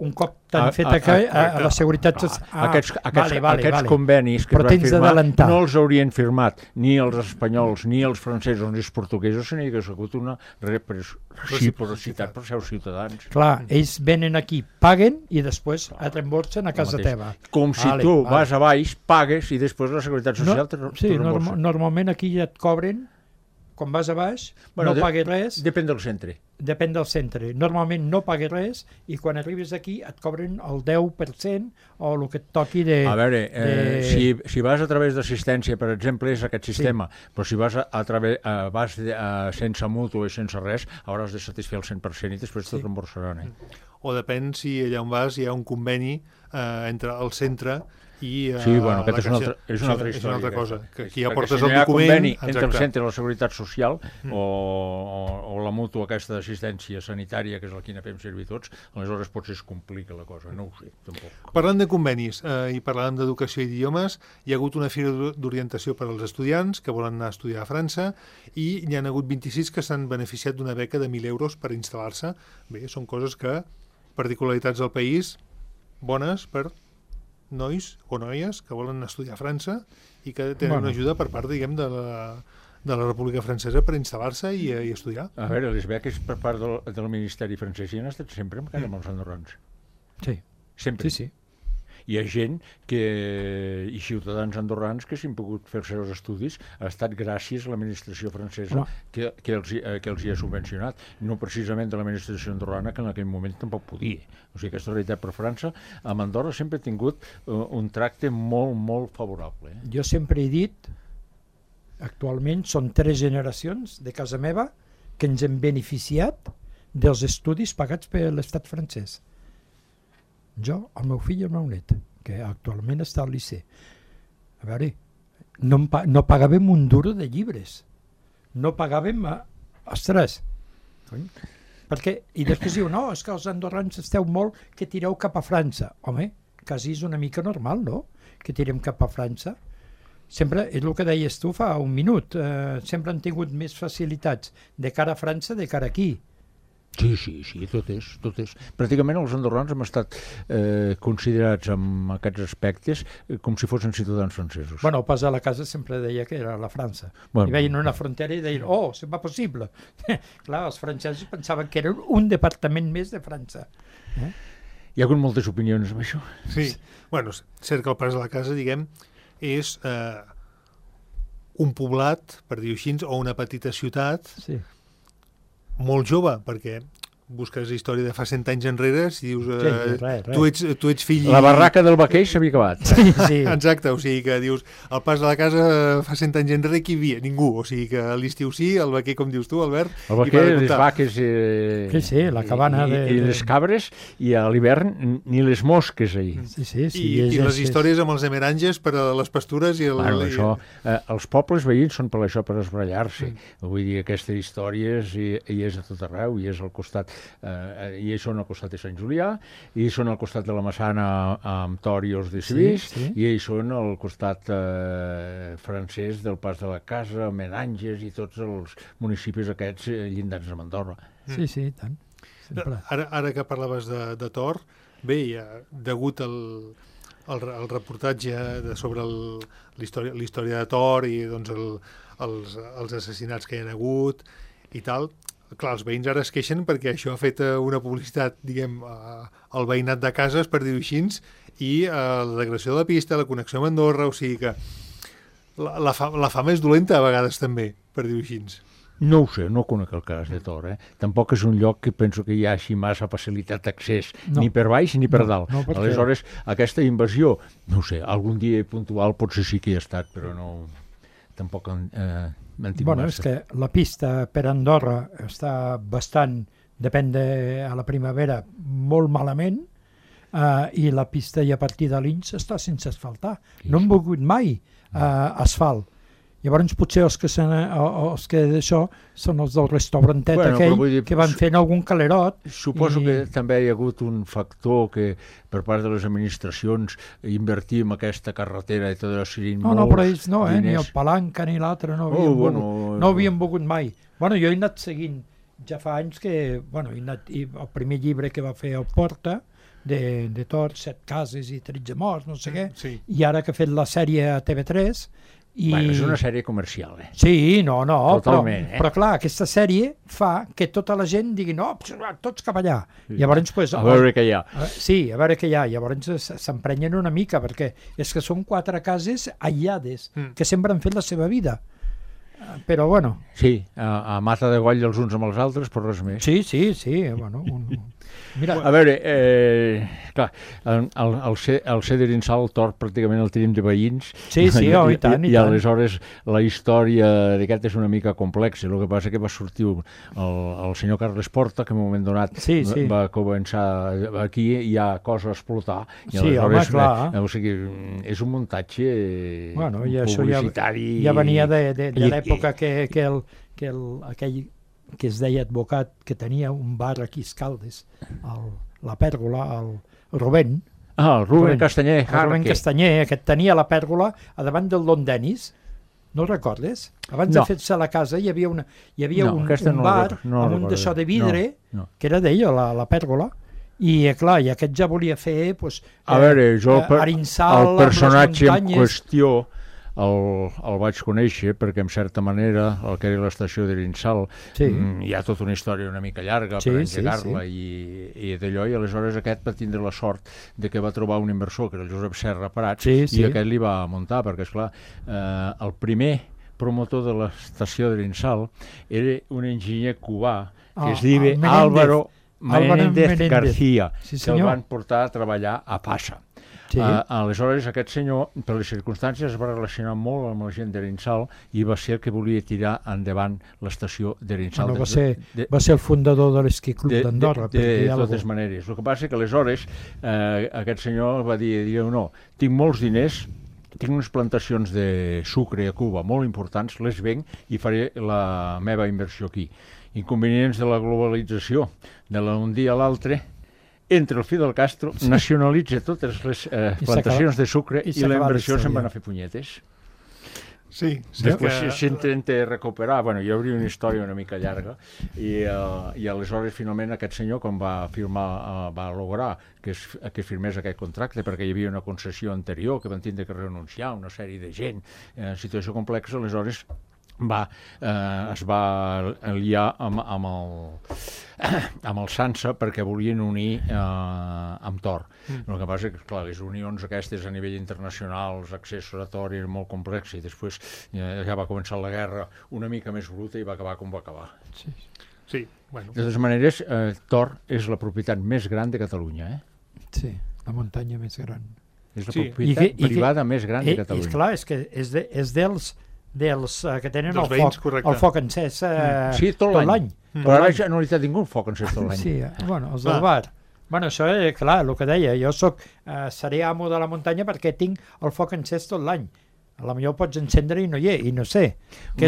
Un cop t'han fet a la Seguretat Social... Aquests convenis que però es van firmar no els haurien firmat ni els espanyols, ni els francesos, ni els portuguesos, sinó que ha hagut una reciprocitat per els seus ciutadans. Clar, ells venen aquí, paguen i després et reemborsen a casa teva. Com si tu vas a baix, pagues i després la Seguretat Social te reemborsa. Normalment aquí ja et cobren, quan vas a baix, no pagues res. Depèn del centre. Depèn del centre. Normalment no pagues res i quan arribes aquí et cobren el 10% o el que et toqui de... A veure, si vas a través d'assistència, per exemple, és aquest sistema, però si vas sense mútua i sense res, hauràs de satisfer el 100% i després te'l reemborsaran. O depèn si allà on vas hi ha un conveni entre el centre i aquesta és una altra història. És una altra cosa, que aquí ja perquè portes si no el hi ha document... conveni entre el centre i la Seguretat Social o la mútua aquesta d'assistència sanitària, que és la que fem servir tots, aleshores potser es complica la cosa, no ho sé, tampoc. Parlant de convenis i parlant d'educació i idiomes, hi ha hagut una fira d'orientació per als estudiants que volen anar a estudiar a França i n'hi ha hagut 26 que s'han beneficiat d'una beca de 1.000 euros per instal·lar-se. Bé, són coses que, particularitats del país, bones per nois o noies que volen estudiar a França i que tenen una ajuda per part, diguem, de la República Francesa per instal·lar-se i estudiar. A veure, les beques per part del Ministeri francès hi han estat sempre encara amb els andorrans. Sí. Sempre. Sí. Hi ha gent i ciutadans andorrans que s'han pogut fer-se els estudis ha estat gràcies a l'administració francesa que els hi ha subvencionat, no precisament de l'administració andorrana, que en aquell moment tampoc podia. O sigui, aquesta realitat per França, amb Andorra sempre ha tingut un tracte molt, molt favorable. Jo sempre he dit, actualment són 3 generacions de casa meva que ens hem beneficiat dels estudis pagats per l'estat francès. Jo, el meu fill i el meu net, que actualment està al liceu. A veure, no pagàvem un duro de llibres. No pagàvem... Ostres! Perquè, i després diu, no, és que els andorrans esteu molt que tireu cap a França. Home, quasi és una mica normal, no?, que tirem cap a França. Sempre, és el que deies tu fa un minut, sempre han tingut més facilitats de cara a França de cara aquí. Sí, tot és. Pràcticament els andorrans hem estat considerats en aquests aspectes com si fossin ciutadans francesos. Bueno, el pas a la casa sempre deia que era la França. I veien una frontera i deien, c'est pas possible. Clar, els francesos pensaven que era un departament més de França. Hi ha hagut moltes opinions amb això. Sí, bueno, cert que el pas a la casa, diguem, és un poblat, per dir-ho així, o una petita ciutat, molt jove, perquè busques la història de fa 100 anys enrere i dius, tu ets fill... La barraca del vaquell s'havia acabat. Sí. Exacte, o sigui que dius, el pas de la casa fa 100 anys enrere qui hi havia? Ningú, o sigui que a l'estiu sí, el vaquer, com dius tu, Albert... El vaquer, les vaques... Sí, la cabana i les cabres, i a l'hivern ni les mosques ahir. Sí. I les històries amb els emeranges per a les pastures i... Els pobles veïns són per això, per esbrallar-se. Vull dir, aquestes històries hi és a tot arreu, hi és al costat... i són al costat de Sant Julià, i són al costat de la Massana amb Tor i els de Civís, i ells són al costat francès del Pas de la Casa, Meranges i tots els municipis aquests llindats amb Andorra. Sí, tant. Ara que parlaves de Tor, bé, degut al reportatge sobre la història de Tor i doncs, els assassinats que hi ha hagut i tal, clar, els veïns ara es queixen perquè això ha fet una publicitat, diguem, al veïnat de cases, per dir-ho així, i la degradació de la pista, la connexió amb Andorra, o sigui que la fama és dolenta a vegades també, per dir-ho així. No ho sé, no conec el cas de Tor. Tampoc és un lloc que penso que hi hagi massa facilitat d'accés, ni per baix ni per dalt. Aleshores, aquesta invasió, no ho sé, algun dia puntual potser sí que hi ha estat, però no... Tampoc és que la pista per Andorra està bastant, depèn a la primavera, molt malament, i la pista i a partir de l'Ins està sense asfaltar. No han volgut mai asfalt. Llavors potser els que d'això són els del restaurantet aquell que van fent algun calerot. Suposo que també hi ha hagut un factor que per part de les administracions invertir en aquesta carretera i tot això serien molts però ells no, diners. Ni el Palanca ni l'altre no havien volgut mai. Bueno, jo he anat seguint ja fa anys que, el primer llibre que va fer el Porta, de tot, 7 cases i 13 morts, no sé què, i ara que ha fet la sèrie a TV3. És una sèrie comercial, Sí, totalment, però clar, aquesta sèrie fa que tota la gent digui tots cap allà. Llavors, a veure què hi ha. Sí, a veure què hi ha. Llavors s'emprenyen una mica, perquè és que són 4 cases aïllades, que sempre han fet la seva vida. Però bueno. Sí, a mata de goll els uns amb els altres, però res més. Sí, bueno... Mira. A veure, clar, el Ceder Insal, el Tort, pràcticament el tenim de veïns. Sí, i tant. I aleshores la història d'aquest és una mica complexa. El que passa que va sortir el senyor Carles Porta, que en un moment donat va començar aquí, hi ha cosa a explotar. Sí, home, clar. O sigui, és un muntatge publicitari. Ja venia de l'època que aquell que es deia advocat, que tenia un bar aquí a Escaldes, la Pèrgola, el Rubén. El Rubén Castanyer. El Rubén Castanyer, que tenia la Pèrgola a davant del Don Dennis. No recordes? Abans de fer-se la casa hi havia un bar amb un d'això de vidre, que era d'ell, la Pèrgola, i clar, i aquest ja volia fer a veure, jo Arinsal, el personatge en qüestió el vaig conèixer perquè en certa manera el que era l'estació d'Arinsal hi ha tota una història una mica llarga per engegar-la i d'allò, i aleshores aquest va tindre la sort de que va trobar un inversor que era el Josep Serra Prats i aquest li va muntar, perquè esclar el primer promotor de l'estació d'Arinsal era un enginyer cubà que es diu Álvaro Menéndez García, que el van portar a treballar a Passa. Aleshores aquest senyor, per les circumstàncies, es va relacionar molt amb la gent d'Arinsal i va ser el que volia tirar endavant l'estació d'Arinsal. Va ser el fundador de l'Esquí Club d'Andorra. De totes maneres. El que passa que aleshores aquest senyor va dir no, tinc molts diners, tinc unes plantacions de sucre a Cuba molt importants, les venc i faré la meva inversió aquí. Inconvenients de la globalització, d'un dia a l'altre, entra el Fidel Castro, nacionalitza totes les plantacions de sucre i la inversió se'n van a fer punyetes. Sí. Després s'intenta recuperar, hi hauria una història una mica llarga i aleshores finalment aquest senyor quan va lograr que firmés aquest contracte perquè hi havia una concessió anterior que van tindre que renunciar una sèrie de gent en situació complexa, aleshores es va liar amb el Sansa perquè volien unir amb Tor. El que passa que, clar, les unions aquestes a nivell internacional, els accessos a Tor eren molt complexos i després ja va començar la guerra una mica més bruta i va acabar com va acabar. Sí, bueno. De totes maneres, Tor és la propietat més gran de Catalunya, Sí, la muntanya més gran. És la propietat privada més gran de Catalunya. I clar, és que és dels que tenen el foc encès tot l'any. Però ara ja no li té ningú el foc encès tot l'any. Sí, els del bar. Això, clar, el que deia, jo seré amo de la muntanya perquè tinc el foc encès tot l'any. A la millor pots encendre i no hi és, i no sé.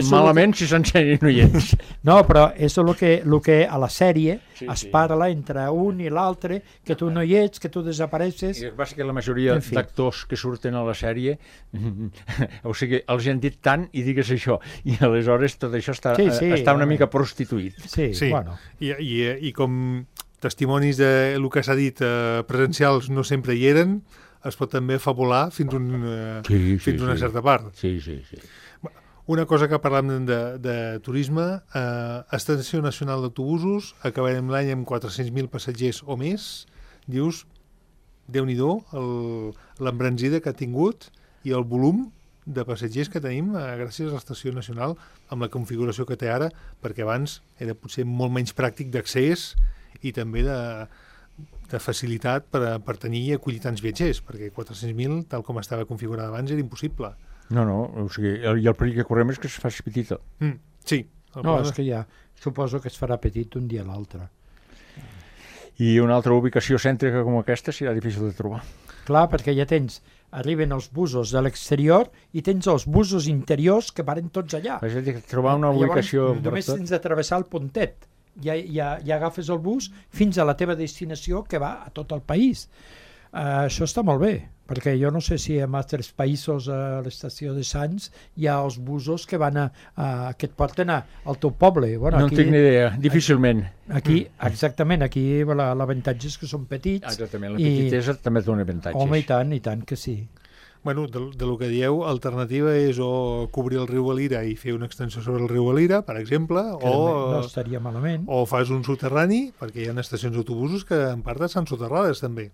Malament si s'encén i no hi és. No, però és el que a la sèrie es parla entre un i l'altre, que tu no hi ets, que tu desapareixes. I el que passa que la majoria d'actors que surten a la sèrie, o sigui, els han dit tant i digues això, i aleshores tot això està una mica prostituït. Sí, bueno. I com testimonis del que s'ha dit presencials no sempre hi eren, es pot també fabular fins una certa part. Sí. Una cosa que parlem de turisme, Estació Nacional d'Autobusos, acabarem l'any amb 400.000 passatgers o més. Dius, Déu-n'hi-do, l'embranzida que ha tingut i el volum de passatgers que tenim gràcies a l'Estació Nacional amb la configuració que té ara, perquè abans era potser molt menys pràctic d'accés i també de facilitat per tenir i acollir tants viatgers, perquè 400.000, tal com estava configurada abans, era impossible. No, o sigui, i el perill que correm és que es faci petita. Sí. No, és que ja suposo que es farà petit un dia a l'altre. I una altra ubicació cèntrica com aquesta serà difícil de trobar. Clar, perquè ja arriben els busos de l'exterior i tens els busos interiors que varen tots allà. És a dir, trobar una ubicació... Llavors, només tens de travessar el pontet. Ja agafes el bus fins a la teva destinació, que va a tot el país. Això està molt bé, perquè jo no sé si en altres països a l'estació de Sants hi ha els busos que van que et porten al teu poble. Bueno, no en tinc ni idea, difícilment. Aquí, exactament, aquí l'avantatge és que són petits. Exactament, la petitesa també dona avantatges. Home, i tant que sí. Bueno, de lo que dieu, l'alternativa és o cobrir el riu Valira i fer una extensió sobre el riu Valira, per exemple, no estaria malament. O fas un soterrani, perquè hi ha estacions d'autobusos que en part estan soterrades també.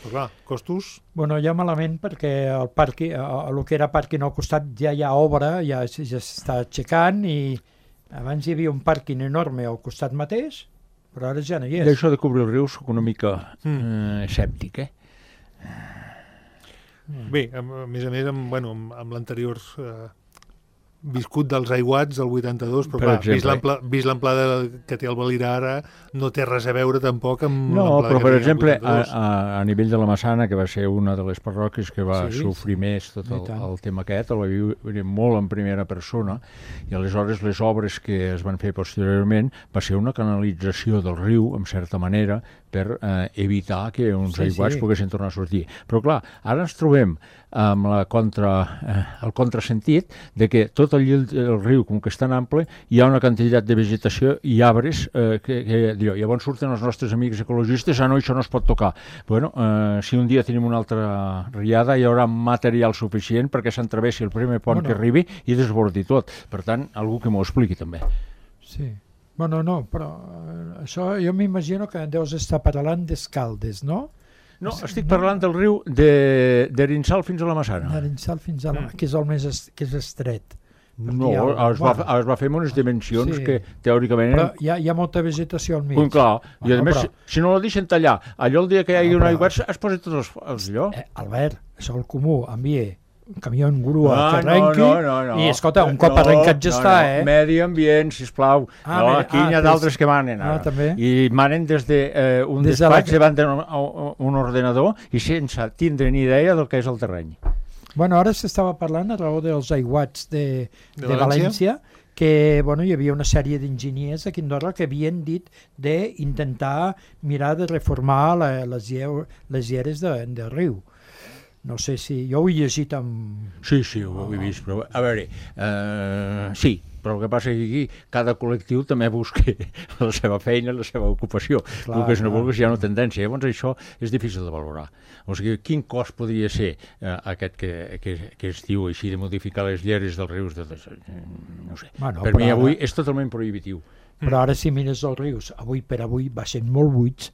Però clar, costos... Bueno, ja malament perquè el que era pàrquing al costat ja hi ha obra, ja s'està aixecant i abans hi havia un pàrquing enorme al costat mateix, però ara ja no hi és. D'això de cobrir el riu soc una mica escèptic, Bé, a més amb l'anterior viscut dels aiguats del 82, però clar, vist l'amplada que té el Valira ara, no té res a veure tampoc amb l'amplada però que per té exemple, el 82. a nivell de la Massana, que va ser una de les parròquies que va sofrir més tot el tema aquest, el va viure molt en primera persona, i aleshores les obres que es van fer posteriorment va ser una canalització del riu, en certa manera, per evitar que uns aiguats poguessin tornar a sortir. Però clar, ara ens trobem amb el contrasentit de que tot el llit del riu, com que és tan ample, hi ha una quantitat de vegetació i arbres que llavors surten els nostres amics ecologistes, no, això no es pot tocar. Bueno, si un dia tenim una altra riada, hi haurà material suficient perquè s'entrevessi el primer pont que arribi i desbordi tot. Per tant, algú que m'ho expliqui també. Sí. Bueno, no, però això jo m'imagino que deus estar parlant d'Escaldes, no? No, estic parlant del riu d'Arinsal fins a la Massana. D'Arinsal fins a la Massana, que és el més estret. No, es va fer amb unes dimensions que teòricament... Però hi ha molta vegetació al mig. Clar, i a més, si no la deixen tallar, allò el dia que hi hagi un aiguat es posa tots els llocs. Albert, això el comú, envia un camió en grua que arrenqui i, escolta, un cop arrencat ja està, Medi ambient, sisplau. Aquí hi ha d'altres que manen ara. I manen des d'un despatx davant d'un ordenador i sense tindre ni idea del que és el terreny. Bueno, ara s'estava parlant a raó dels aiguats de València, que hi havia una sèrie d'enginyers aquí a Andorra que havien dit d'intentar mirar de reformar les lleres del riu. No sé si... Jo ho he llegit amb... Sí, ho he vist, però a veure, sí, però el que passa és que aquí cada col·lectiu també busca la seva feina, la seva ocupació. Vulguis no vulguis, hi ha una tendència. Llavors això és difícil de valorar. O sigui, quin cost podria ser aquest que es diu així de modificar les lleres dels rius? No sé. Per mi avui és totalment prohibitiu. Però ara si mires els rius, avui per avui va sent molt buits.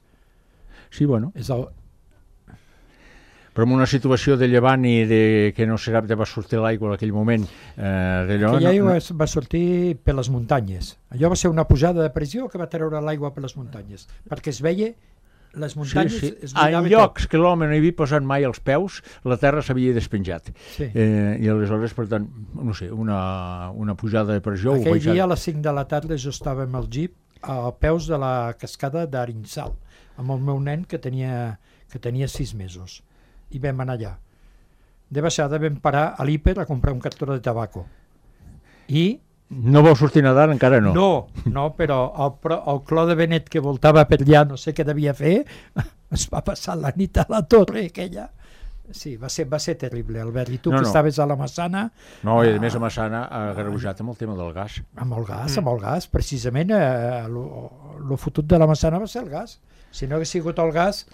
Sí, bueno. Però en una situació de llevant i que no sap de va sortir l'aigua en aquell moment aquella aigua va sortir per les muntanyes. Allò va ser una pujada de pressió que va treure l'aigua per les muntanyes, perquè es veia les muntanyes... En llocs que l'home no hi havia posat mai els peus, la terra s'havia despenjat. I aleshores, per tant, no sé, una pujada de pressió... Aquell dia a les 5 de la tarda jo estava amb el jeep a peus de la cascada d'Arinsal, amb el meu nen que tenia 6 mesos. I vam anar allà. De baixada vam parar a l'Hiper a comprar un cartó de tabaco. I... No vau sortir nedant encara no? No, però el clor de Benet que voltava per allà, no sé què devia fer, es va passar la nit a la torre aquella. Sí, va ser terrible, Albert. I tu que estaves a la Massana... No, i a més a Massana ha agreujat amb el tema del gas. Amb el gas. Precisament el fotut de la Massana va ser el gas. Si no hagués sigut el gas...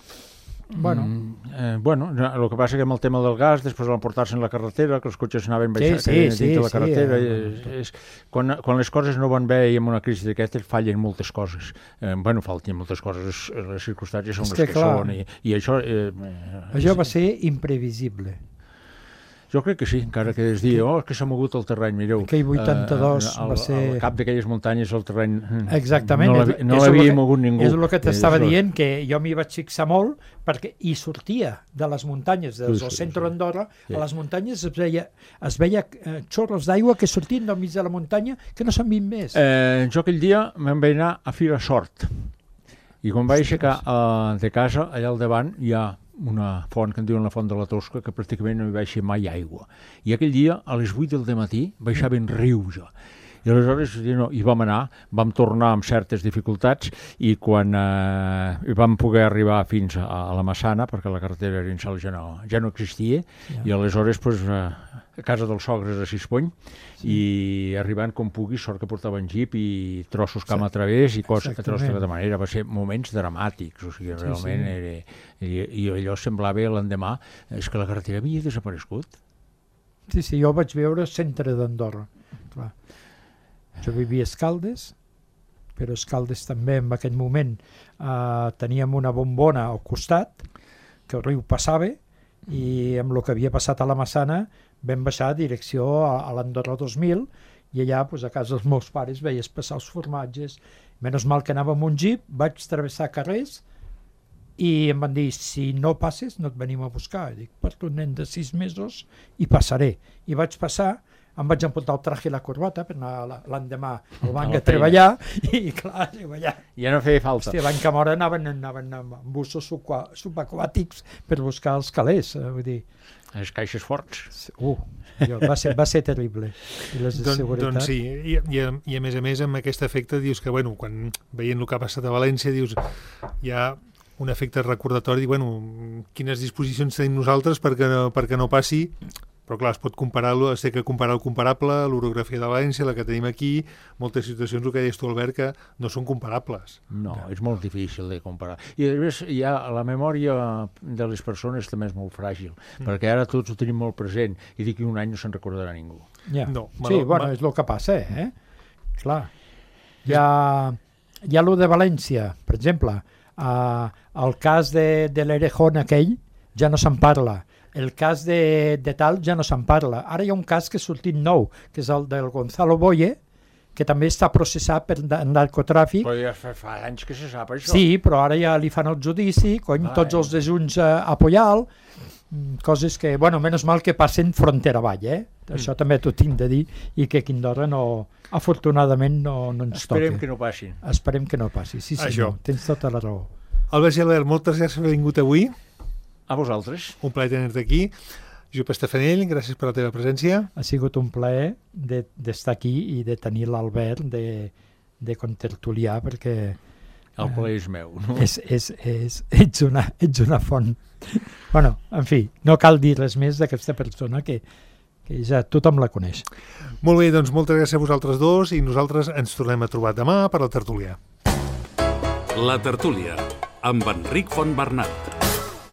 el que passa que amb el tema del gas després van portar-se en la carretera, que els cotxes anaven baixant dins de la carretera. Quan les coses no van bé i amb una crisi d'aquestes fallen moltes coses. Falten moltes coses, les circumstàncies són les que són i això... Això va ser imprevisible. Jo crec que sí, encara que es digui, que s'ha mogut el terreny, mireu. Aquell 82 va ser... Al cap d'aquelles muntanyes el terreny... Exactament. No l'havia mogut ningú. És el que t'estava dient, que jo m'hi vaig fixar molt, perquè hi sortia de les muntanyes, del centre d'Andorra, a les muntanyes es veia xorros d'aigua que sortien del mig de la muntanya que no s'han vist més. Jo aquell dia me'n vaig anar a Fira Sort, i quan vaig aixecar de casa, allà al davant, hi ha una font que en diuen la Font de la Tosca, que pràcticament no hi baixa mai aigua. I aquell dia, a les 8 del matí, baixaven rius. I aleshores hi vam anar, vam tornar amb certes dificultats i quan vam poder arribar fins a la Massana, perquè la carretera Arinsal ja no existia, i aleshores a casa dels sogres a Sispony, i arribant com pugui, sort que portaven jeep i trossos camp a través i coses que trossos de manera. Va ser moments dramàtics, o sigui, realment i allò semblava l'endemà és que la carretera havia desaparegut. Sí, jo vaig veure el centre d'Andorra, clar. Jo vivia a Escaldes, però a Escaldes també en aquell moment teníem una bombona al costat, que el riu passava, i amb el que havia passat a la Massana vam baixar a direcció a l'Andorra 2000 i allà a casa dels meus pares veies passar els formatges. Menys mal que anava amb un jeep, vaig travessar carrers i em van dir, si no passes no et venim a buscar. Dic, porto un nen de 6 mesos i passaré. I vaig passar, em vaig emportar el traje i la corbata per anar l'endemà al banc a treballar i clar, ja no feia falta. Hòstia, l'any que mora anaven amb bussos subaquàtics per buscar els calés, vull dir. Les caixes forts. Va ser terrible. I les de seguretat. Doncs sí, i a més amb aquest efecte dius que, bueno, quan veient el que ha passat a València, dius, hi ha un efecte recordatori, quines disposicions tenim nosaltres perquè no passi. Però clar, es pot comparar-lo, es té que comparar el comparable, l'orografia de València, la que tenim aquí, moltes situacions, el que deies tu, Albert, que no són comparables. No, és molt difícil de comparar. I a més, la memòria de les persones també és molt fràgil, perquè ara tots ho tenim molt present i d'aquí un any no se'n recordarà ningú. No, sí, és el que passa, Clar. Hi ha lo de València, per exemple, el cas de l'Erejón aquell ja no se'n parla. El cas de tal ja no se'n parla. Ara hi ha un cas que ha sortit nou, que és el del Gonzalo Boye, que també està processat per narcotràfic. Però ja fa anys que se sap això. Sí, però ara ja li fan el judici, tots els dejunts a Pollal, coses que, menys mal que passen frontera avall, Això també t'ho tinc de dir, i que aquí a Andorra afortunadament no ens toca. Esperem que no passin. Esperem que no passi, sí senyor, tens tota la raó. Albert i Albert, moltes gràcies per haver vingut avui. A vosaltres. Un plaer tenir-te aquí. Josep Estefanell, gràcies per la teva presència. Ha sigut un plaer d'estar aquí i de tenir l'Albert de contertuliar, perquè el plaer és meu, no? Ets una font. En fi, no cal dir res més d'aquesta persona que ja tothom la coneix. Molt bé, doncs moltes gràcies a vosaltres dos i nosaltres ens tornem a trobar demà per la tertúlia. La tertúlia, amb Enric Fontbernat.